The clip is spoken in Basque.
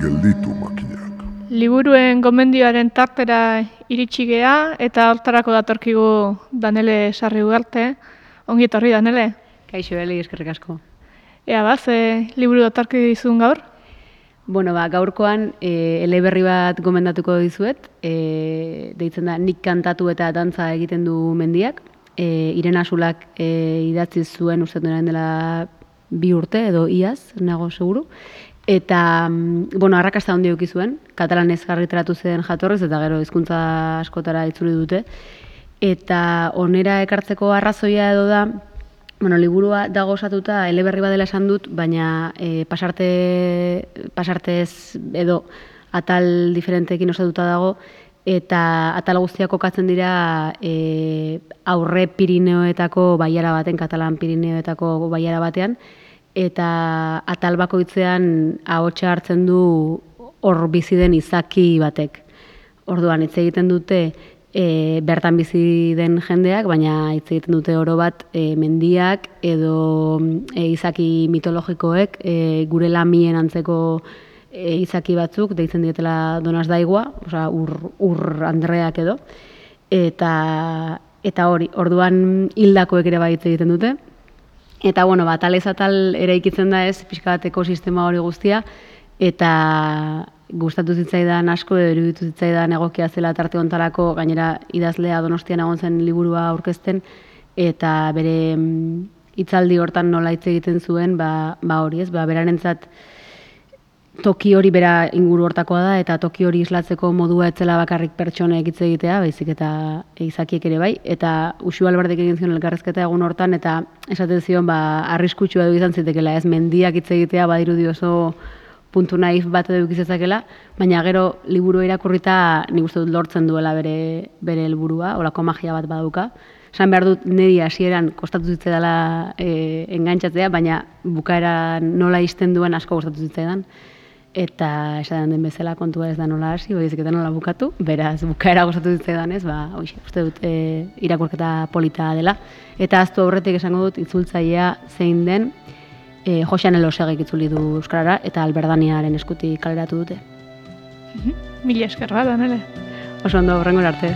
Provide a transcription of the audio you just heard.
gelditu makinak. Liburuen gomendioaren tartera iritsi gea eta hortarako datorkigu Danele Sarri Ugarte. Ongi etorri, Danele. Kaixo, Eli, eskerrik asko. Ea ze liburu datorki dizun gaur? Bueno, gaurkoan eleberri bat gomendatuko dizuet, deitzen da Nik kantatu eta dantza egiten du mendiak. Irena Sulak idatzi zuen uste dela 2 urte edo iaz, nago seguru. Eta, arrakasta handi eduki zuen, katalanez argitaratu zen jatorriz eta gero hizkuntza askotara itzuli dute. Eta onera ekartzeko arrazoia edo da, liburua dago osatuta eleberri badela esan dut, baina pasartez edo atal diferenteekin osatuta dago, eta atal guztiak kokatzen dira aurre Pirineoetako bailara baten, katalan Pirineoetako bailara batean, eta atal bakoitzean ahotsa hartzen du hor bizi den izaki batek. Orduan, hitz egiten dute bertan bizi den jendeak, baina hitz egiten dute oro bat mendiak edo izaki mitologikoek, gure lamien antzeko izaki batzuk, deitzen dietela Donazdaigua, ur andreak edo, eta hori, orduan hildakoek ere bai hitz egiten dute. Eta, atalez atal eraikitzen da ez, pixka bat ekosistema hori guztia, eta gustatu zitzaidan asko, iruditu zitzaidan egokia zela tarte hontarako, gainera idazlea Donostian egon zen liburua aurkezten, eta bere hitzaldi hortan nola hitz egiten zuen, hori ez, berarentzat toki hori bera inguru hortakoa da, eta toki hori islatzeko modua etzela bakarrik pertsonek hitz egitea, baizik eta izakiek ere bai, eta Uxu Alberdek egin zion elkarrezketa egun hortan, eta esaten zion, arriskutsua edo izan zitekela, ez mendiak hitz egitea, badirudi oso puntu naif bat edo ikizezakela, baina gero liburu irakurrita nik uste dut lortzen duela bere helburua, holako magia bat badauka. Esan behar dut niri hasieran kostatu zitzaidala engantzatzea, baina bukaeran nola ixten duen asko kostatu zitzaidan. Eta esaten den bezala kontua ez da nola hasi, baizik eta nola bukatu, beraz bukaera gustatu zitzaidan ez, uste dut irakurketa polita dela. Eta ahaztu aurretik esango dut itzultzailea zein den, Josean Elosegik itzuli du euskarara eta Alberdaniaren eskutik kaleratu dute. Mila esker bat, Danele. Oso ondo, hurrengora arte.